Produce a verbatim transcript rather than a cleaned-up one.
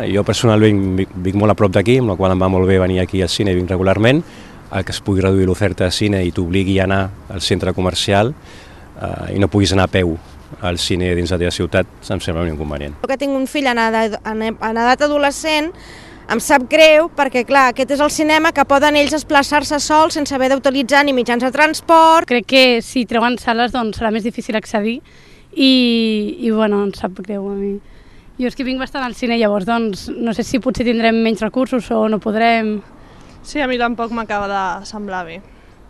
Jo personalment vinc, vinc molt a prop d'aquí, amb la qual em va molt bé venir aquí al cine i vinc regularment. El que es pugui reduir l'oferta de cine i t'obligui a anar al centre comercial eh, i no puguis anar a peu al cine dins la teva ciutat, em sembla un inconvenient. Jo que tinc un fill en edat, en edat adolescent, em sap greu perquè, clar, aquest és el cinema que poden ells desplaçar-se sols sense haver d'utilitzar ni mitjans de transport. Crec que si treuen sales doncs serà més difícil accedir i, i bueno, em sap greu a mi. Jo és que vinc bastant al cine, llavors doncs no sé si potser tindrem menys recursos o no podrem. Sí, a mi tampoc m'acaba de semblar bé.